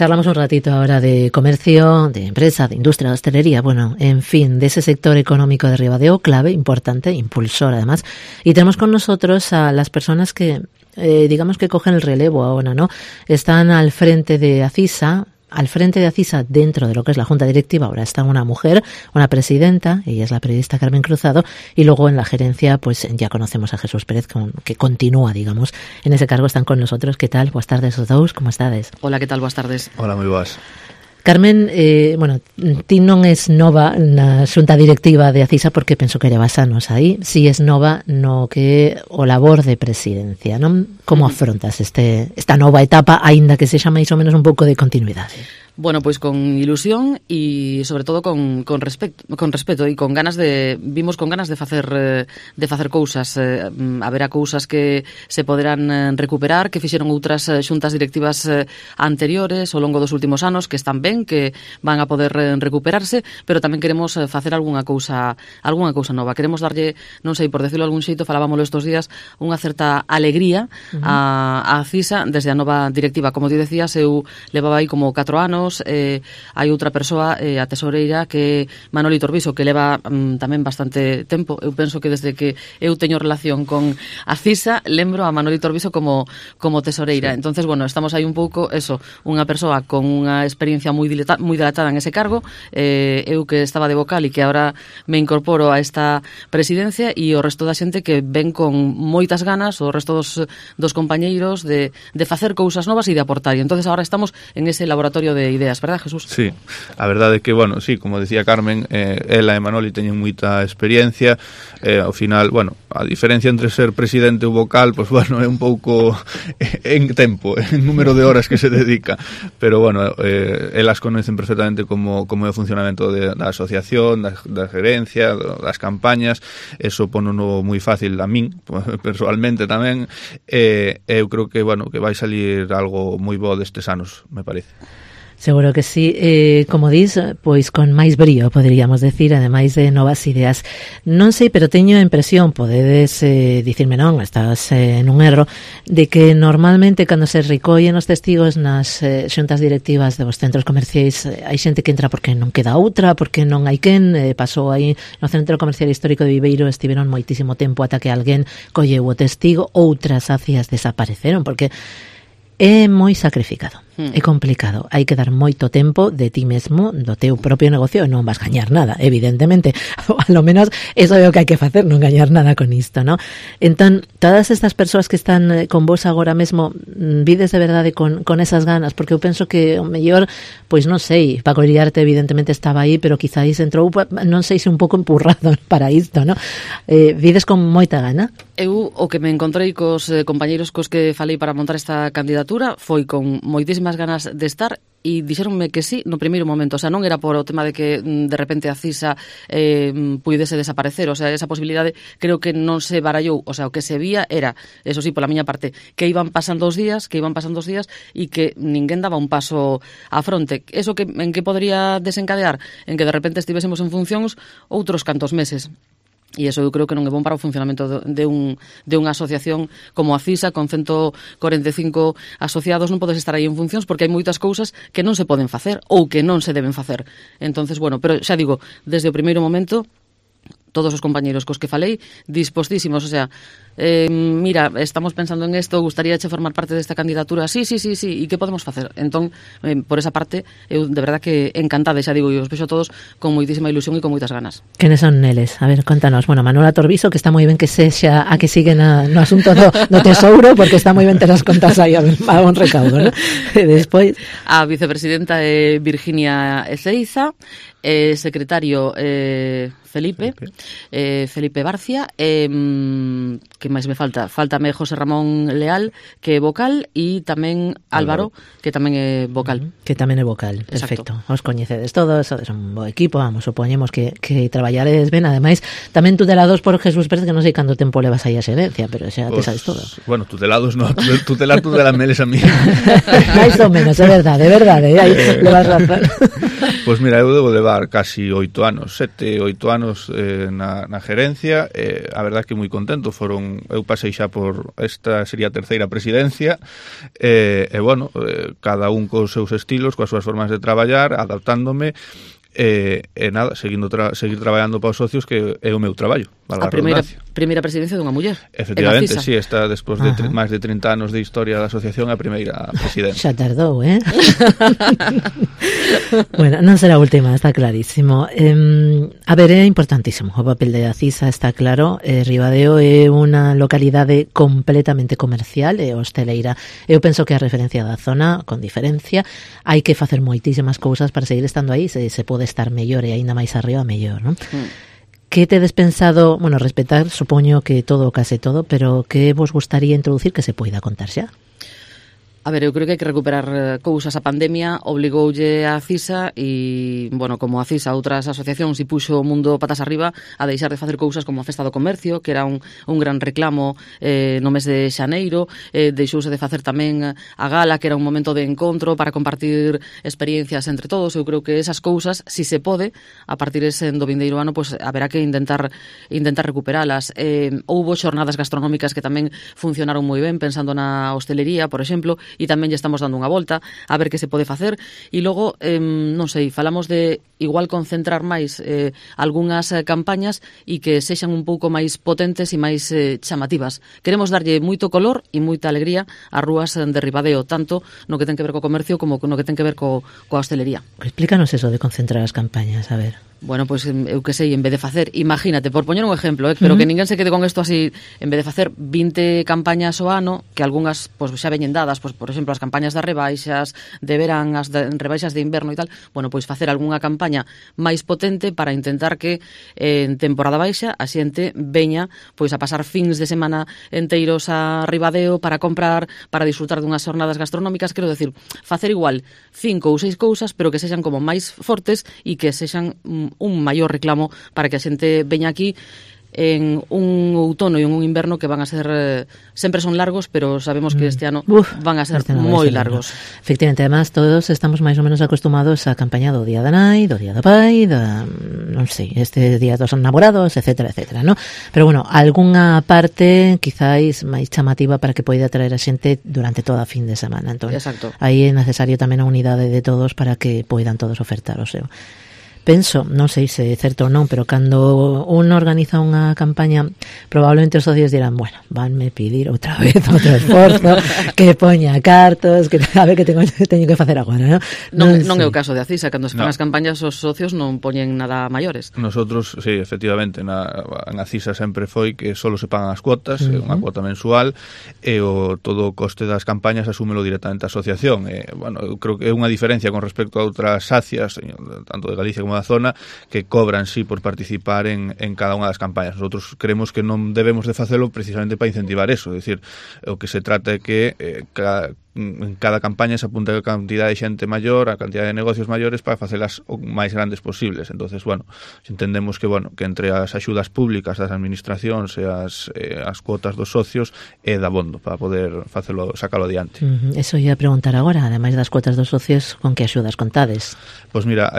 Charlamos un ratito ahora de comercio, de empresa, de industria, de hostelería, bueno, en fin, de ese sector económico de Ribadeo, clave, importante, impulsor además. Y tenemos con nosotros a las personas que, digamos que cogen el relevo ahora, ¿no? Están al frente de ACISA. Al frente de ACISA, dentro de lo que es la Junta Directiva, ahora está una mujer, una presidenta, ella es la periodista Carmen Cruzado, y luego en la gerencia, pues ya conocemos a Jesús Pérez, que continúa, digamos, en ese cargo. Están con nosotros. ¿Qué tal? Buenas tardes os dous, como estades? Hola, ¿qué tal? Buenas tardes. Hola, moi boas. Carmen, bueno, ti non es nova na xunta directiva de ACISA porque penso que levas anos aí, si es nova no que o labor de presidencia, non? Como afrontas esta nova etapa, aínda que sexa máis ou menos un pouco de continuidade? Bueno, pues con ilusión y sobre todo con respeto y con ganas vimos con ganas de facer cousas, haberá cousas que se poderán recuperar, que fixeron outras xuntas directivas anteriores ao longo dos últimos anos, que están ben, que van a poder recuperarse, pero tamén queremos facer algunha cousa nova. Queremos darlle, non sei, por decirlo de algún xeito, falábamoslo estos días, unha certa alegría a CISA desde a nova directiva. Como ti decías, eu levaba aí como 4 anos. Hai outra persoa, a tesoreira, que Manoli Torbiso, que leva tamén bastante tempo. Eu penso que desde que eu teño relación con a CISA, lembro a Manoli Torbiso como tesoreira. Sí. Entonces, bueno, estamos aí un pouco, unha persoa con unha experiencia moi dilatada en ese cargo, eu que estaba de vocal e que agora me incorporo a esta presidencia, e o resto da xente que ven con moitas ganas, o resto dos compañeiros, de facer cousas novas e de aportar. E entonces agora estamos en ese laboratorio de ideas, verdad, Jesús? Sí, a verdade é que, bueno, sí, como decía Carmen, ela e Manoli teñen moita experiencia, ao final, bueno, a diferencia entre ser presidente ou vocal, pues bueno, é un pouco en tempo, en número de horas que se dedica, pero bueno, elas conocen perfectamente como é o funcionamento da asociación, da gerencia, das campañas, eso ponono moi fácil a min, personalmente tamén, eu creo que, bueno, que vai salir algo moi bo destes anos, me parece. Seguro que sí, como dis, pois con máis brío, poderíamos decir, ademais de novas ideas. Non sei, pero teño a impresión, podedes dicirme non, estás nun erro, de que normalmente cando se recollen os testigos nas xuntas directivas dos centros comerciais, hai xente que entra porque non queda outra, porque non hai quen, pasou aí no Centro Comercial Histórico de Viveiro, estiveron moitísimo tempo ata que alguén colleu o testigo, outras acias desapareceron, porque é moi sacrificado, é complicado, hai que dar moito tempo de ti mesmo, do teu propio negocio, e non vas gañar nada, evidentemente, ou a lo menos eso é o que hai que facer, non gañar nada con isto, ¿no? Entón, todas estas persoas que están con vos agora mesmo, vides de verdade con esas ganas, porque eu penso que o mellor, pois non sei, Paco Iriarte evidentemente estaba aí, pero quizáis entrou, non sei se un pouco empurrado para isto, ¿no? Vides con moita gana? Eu o que me encontrei cos compañeiros cos que falei para montar esta candidatura foi con moitísimas ganas de estar, e dixeronme que sí no primeiro momento, o sea, non era por o tema de que de repente a CISA puidese desaparecer, o sea, esa posibilidade creo que non se barallou, o sea, o que se vía era, eso sí, pola miña parte, que iban pasando os días e que ninguén daba un paso á fronte. Eso que en que podría desencadear? En que de repente estivésemos en funcións outros cantos meses. E iso eu creo que non é bom para o funcionamento de unha asociación como a CISA, con 145 asociados. Non podes estar aí en funcións porque hai moitas cousas que non se poden facer ou que non se deben facer. Entonces, bueno, pero xa digo, desde o primeiro momento, todos os compañeiros cos que falei, dispostísimos, o sea, mira, estamos pensando en isto, gustaríache formar parte desta candidatura, sí, e que podemos facer? Entón, por esa parte, eu de verdad que encantada, xa digo, e os vexo todos con moitísima ilusión e con moitas ganas. Quenes son neles? A ver, contanos. Bueno, Manuela Torbiso, que está moi ben que sexa a que sigue no asunto do tesouro, porque está moi ben ter as contas aí a un recaudo, ¿no? E despois... A vicepresidenta é Virginia Ezeiza, secretario Felipe Barcia, que máis me falta? Faltame José Ramón Leal, que é vocal, e tamén Álvaro, que tamén é vocal. Que tamén é vocal, perfecto. Exacto. Os coñecedes todos, sodes un bo equipo, vamos, supoñemos que traballaredes ben, ademais, tamén tutelados por Jesús Pérez, que non sei canto tempo levas aí a xerencia, pero xa te sabes todo. Bueno, tutelados non, tutelar meles a mí. Mais ou menos, é verdade, aí levas razón. Pois mira, eu debo levar levar casi 8 anos, 7, 8 anos na gerencia, a verdade que moi contento. Eu pasei xa por esta sería a terceira presidencia, e bueno, cada un cos seus estilos, coas súas formas de traballar, adaptándome, e nada, seguir traballando para os socios, que é o meu traballo. A primeira presidencia dunha muller. Efectivamente, sí, está despois de máis de 30 anos de historia da asociación a primeira presidencia. Xa tardou, Bueno, non será a última, está clarísimo. A ver, é importantísimo o papel de Acisa, está claro. Ribadeo é unha localidade completamente comercial e hosteleira. Eu penso que a referencia da zona, con diferencia, hai que facer moitísimas cousas para seguir estando aí, se pode estar mellor e aínda máis arriba, mellor, non? Que tedes pensado, bueno, respetar, supoño que todo, case todo, pero que vos gustaría introducir que se poida contar xa? A ver, eu creo que hai que recuperar cousas. A pandemia obligoulle a Acisa e, bueno, como a Acisa, outras asociacións, e puxo o mundo patas arriba a deixar de facer cousas como a Festa do Comercio, que era un gran reclamo no mes de xaneiro. Deixouse de facer tamén a gala, que era un momento de encontro para compartir experiencias entre todos. Eu creo que esas cousas, si se pode, a partir do vindeiro ano, pues haberá que intentar recuperalas. Houbo xornadas gastronómicas que tamén funcionaron moi ben, pensando na hostelería, por exemplo, e tamén lle estamos dando unha volta a ver que se pode facer. E logo, non sei, falamos de igual concentrar máis algunhas campañas e que sexan un pouco máis potentes e máis chamativas. Queremos darlle moito color e moita alegría ás rúas de Ribadeo, tanto no que ten que ver co comercio como no que ten que ver coa hostelería. Explícanos eso de concentrar as campañas, a ver. Bueno, pois eu que sei, en vez de facer, imagínate, por poñer un exemplo, pero que ninguén se quede con isto así, en vez de facer 20 campañas ao ano, que algunhas pois xa veñen dadas, pois por exemplo, as campañas das rebaixas de verán, as rebaixas de inverno e tal, bueno, pois facer algunha campaña máis potente para intentar que en temporada baixa a xente veña pois a pasar fins de semana enteiros a Ribadeo para comprar, para disfrutar dunhas xornadas gastronómicas. Quero decir, facer igual 5 ou 6 cousas, pero que sexan como máis fortes e que sexan un maior reclamo para que a xente veña aquí en un outono e en un inverno que van a ser sempre son largos, pero sabemos que este ano van a ser moi largos. Efectivamente, además todos estamos máis ou menos acostumados á campaña do Día da Nai, do Día do Pai, non sei, este Día dos Namorados, etcétera, etcétera, ¿no? Pero bueno, algunha parte quizáis máis chamativa para que poida atraer a xente durante toda a fin de semana. Entón, aí é necesario tamén a unidade de todos para que poidan todos ofertar o seu. Penso, non sei se é certo ou non, pero cando un organiza unha campaña, probablemente os socios dirán, bueno, vanme pedir outra vez outro esforzo, que poña cartos, que a ver que teño que facer agora, ¿no? Non é o caso de Acisa, cando se fan as campañas os socios non poñen nada maiores. Nosotros, sí, efectivamente, en Acisa sempre foi que solo se pagan as cuotas, unha cuota mensual, e todo o coste das campañas asúmelo directamente a asociación. Bueno, eu creo que é unha diferencia con respecto a outras sacias, tanto de Galicia como da zona, que cobran sí por participar en cada unha das campañas. Nosotros creemos que non debemos de facelo precisamente para incentivar eso, é dicir, o que se trata é que en cada campaña se apunta a cantidad de xente maior, a cantidad de negocios maiores para facelas o máis grandes posibles. Entonces, bueno, entendemos que entre as axudas públicas das administracións e as cuotas dos socios é dabondo para poder sacalo adiante. Eso ia a preguntar agora, ademais das cuotas dos socios, con que axudas contades? Pois mira,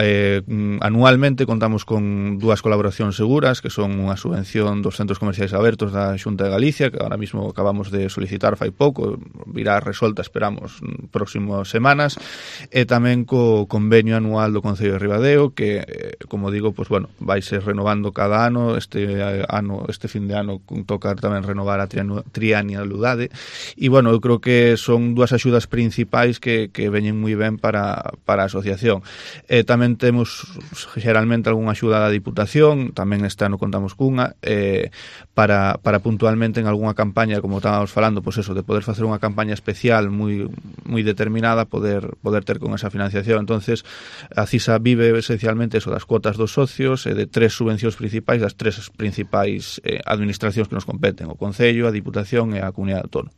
anualmente contamos con 2 colaboracións seguras, que son unha subvención dos centros comerciais abertos da Xunta de Galicia, que ahora mismo acabamos de solicitar fai pouco, virá resolta, esperamos próximas semanas, e tamén co convenio anual do Concello de Ribadeo, que, como digo, pues bueno, vai ser renovando cada ano. Este fin de ano toca tamén renovar a trianualidade, e bueno, eu creo que son 2 axudas principais que veñen moi ben para a asociación. Tamén temos xeralmente algunha axuda da Diputación, tamén este ano contamos cunha, para puntualmente en algunha campaña, como estábamos falando, pues eso, de poder facer unha campaña especial moi determinada, poder ter con esa financiación. Entonces, a CISA vive esencialmente eso das cuotas dos socios e de 3 subvencións principais das 3 principais administracións que nos competen, o Concello, a Diputación e a Comunidade Autónoma.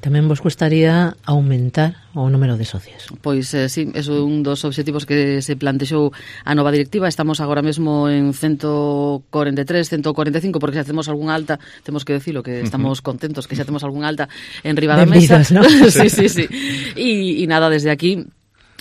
Tamén vos gustaría aumentar o número de socios? Pois sí, eso é un dos obxectivos que se plantexou a nova directiva. Estamos agora mesmo en 143, 145, porque xa temos algunha alta, temos que decirlo, que estamos contentos que xa temos algunha alta en riba da mesa. ¿No? Sí. E nada, desde aquí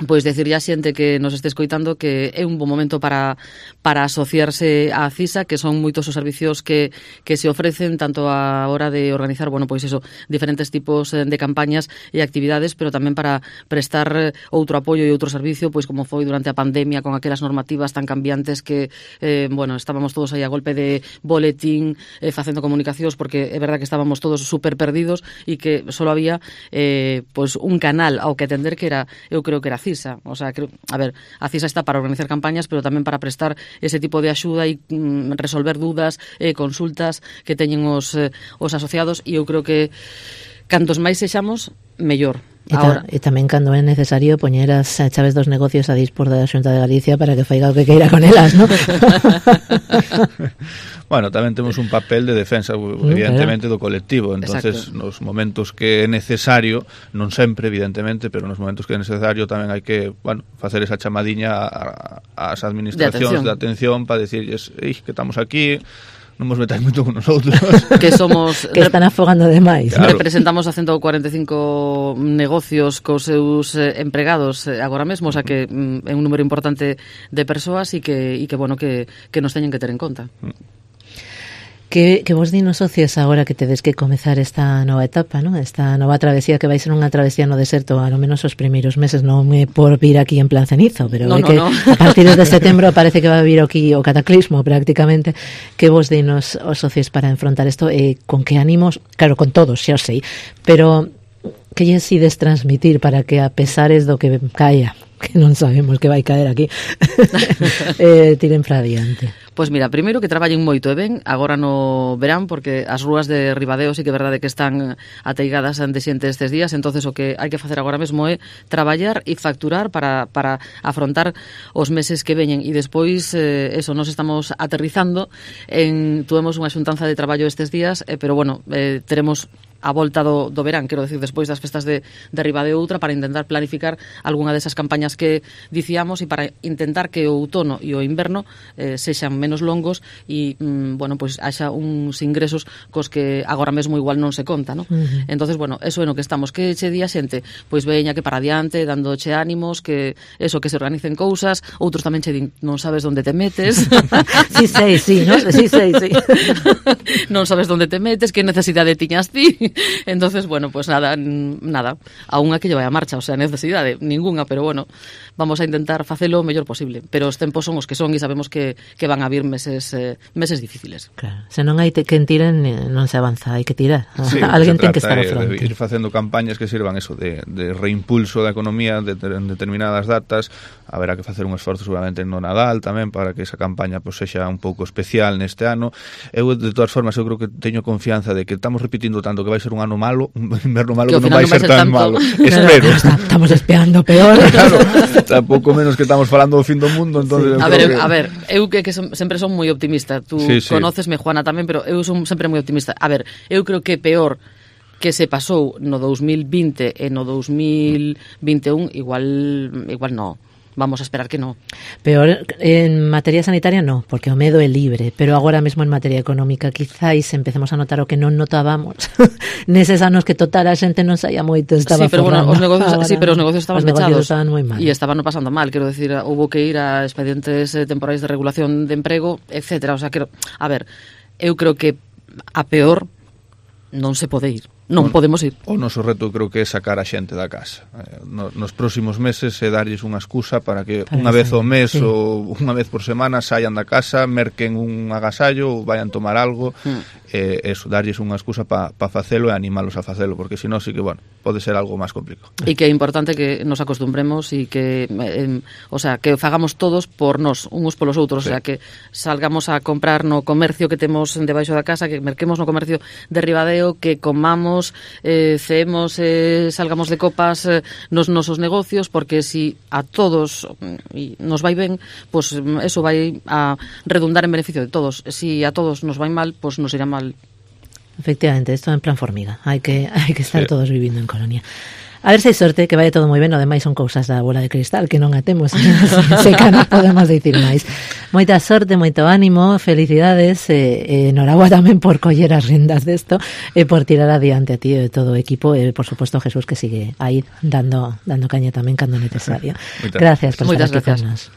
pois decirlle a xente que nos este escoitando que é un bon momento para asociarse á CISA, que son moitos os servicios que se ofrecen tanto a hora de organizar, bueno, pois eso, diferentes tipos de campañas e actividades, pero tamén para prestar outro apoio e outro servicio, pois como foi durante a pandemia con aquelas normativas tan cambiantes que, bueno, estábamos todos aí a golpe de boletín, facendo comunicacións, porque é verdad que estábamos todos super perdidos e que só había pois un canal ao que atender que era, eu creo que era CISA. O sea, a ver, a CISA está para organizar campañas, pero tamén para prestar ese tipo de axuda e resolver dudas e consultas que teñen os asociados, e eu creo que cantos máis sexamos, mellor. E tamén cando é necesario poñer as chaves dos negocios a dispor da Xunta de Galicia para que faiga o que queira con elas, ¿no? Bueno, tamén temos un papel de defensa, evidentemente, do colectivo. Entonces, nos momentos que é necesario, non sempre, evidentemente, pero nos momentos que é necesario tamén hai que, bueno, facer esa chamadiña ás administracións de atención para decirles, que estamos aquí, non nos metáis moito con nosotros. Que somos... que están afogando demais. Claro. Representamos a 145 negocios cos seus empregados agora mesmo, o sea que é un número importante de persoas e que bueno, que nos teñen que ter en conta. Que vos dinos socios agora que tedes que comezar esta nova etapa, ¿no? Esta nova travesía que vai ser unha travesía no deserto, ao menos os primeiros meses, non é por vir aquí en plan cenizo, pero no, que a partir de setembro parece que va a vir aquí o cataclismo prácticamente. Que vos dinos os socios para enfrontar isto e con que ánimos, claro, con todos, xa o sei, pero que lles ides transmitir para que a pesares do que caia, que non sabemos que vai caer aquí, tiren para adiante? Pois mira, primeiro que traballen moito e ben agora no verán, porque as rúas de Ribadeo sí que é verdade que están ateigadas de xente estes días, entonces o que hai que facer agora mesmo é traballar e facturar para afrontar os meses que veñen, e despois eso, nos estamos aterrizando tuvemos unha xuntanza de traballo estes días, pero bueno, teremos a volta do verán, quero decir, despois das festas de Ribadeo outra, para intentar planificar algunha desas campañas que dicíamos e para intentar que o outono e o inverno sexan menos longos e, bueno, pois haxa uns ingresos cos que agora mesmo igual non se conta, ¿no? Entonces, bueno, eso é no que estamos, que che di a xente, pois veña que para adiante, dándoche ánimos, que eso, que se organicen cousas, outros tamén che din, non sabes onde te metes. Sí, ¿no? Sí. Non sabes onde te metes, que necesidade tiñas ti. Entonces, bueno, pues nada, a unha que lle vai a marcha, o sea, necesidade ninguna, pero bueno, vamos a intentar facelo o mellor posible, pero os tempos son os que son e sabemos que van a vir meses difíciles. Claro, se non hai quen tiren non se avanza, hai que tirar. Sí, alguén ten que estar ao fronte. Ir facendo campañas que sirvan eso de reimpulso da economía en determinadas datas. Haberá que facer un esforzo seguramente no Nadal tamén para que esa campaña pues sexa un pouco especial neste ano. Eu, de todas formas, eu creo que teño confianza de que estamos repetindo tanto que vai ser un ano malo, un inverno malo, que non vai ser tan malo. Espero. Estamos espiando peor. Claro, tampouco menos que estamos falando do fin do mundo, entonces a ver, eu que sempre son moi optimista. Tú conócesme, Juana, tamén, pero eu son sempre moi optimista. A ver, eu creo que peor que se pasou no 2020 e no 2021 igual no. Vamos a esperar que no. Peor en materia sanitaria no, porque o medo é libre, pero agora mesmo en materia económica quizáis empecemos a notar o que non notábamos neses anos que total a xente non saía moito, estaba pero forrando. Bueno, os negocios estaban pechados. Estaban moi mal. E estaban pasando mal, quero decir, houve que ir a expedientes temporais de regulación de emprego, etcétera, o sea, a ver, eu creo que a peor non se pode ir. Non podemos ir. O noso reto creo que é sacar a xente da casa. Nos próximos meses é darlles unha excusa para que unha vez ao mes ou unha vez por semana saian da casa, merquen un agasallo ou vayan tomar algo, eso, darlles unha excusa para facelo e animalos a facelo, porque senón sí que, bueno, pode ser algo máis complicado. E que é importante que nos acostumbremos e que o sea, que fagamos todos por nós, uns polos outros, o sea, que salgamos a comprar no comercio que temos debaixo da casa, que merquemos no comercio de Ribadeo, que comamos, ceemos, salgamos de copas nos nosos negocios, porque si a todos nos vai ben, pues eso vai a redundar en beneficio de todos. Si a todos nos vai mal, pues nos irá mal. Efectivamente, esto en plan formiga. Hai que estar todos vivindo en colonia. A ver se hai sorte, que vai todo moi ben, o demais son cousas da bola de cristal, que non a temos, se que non podemos dicir máis. Moita sorte, moito ánimo, felicidades, enhorabuá tamén por coller as rendas desto, e por tirar adiante a ti e todo o equipo, e por suposto Jesús, que sigue aí dando caña tamén cando necesario. Gracias por estar aquí con nós.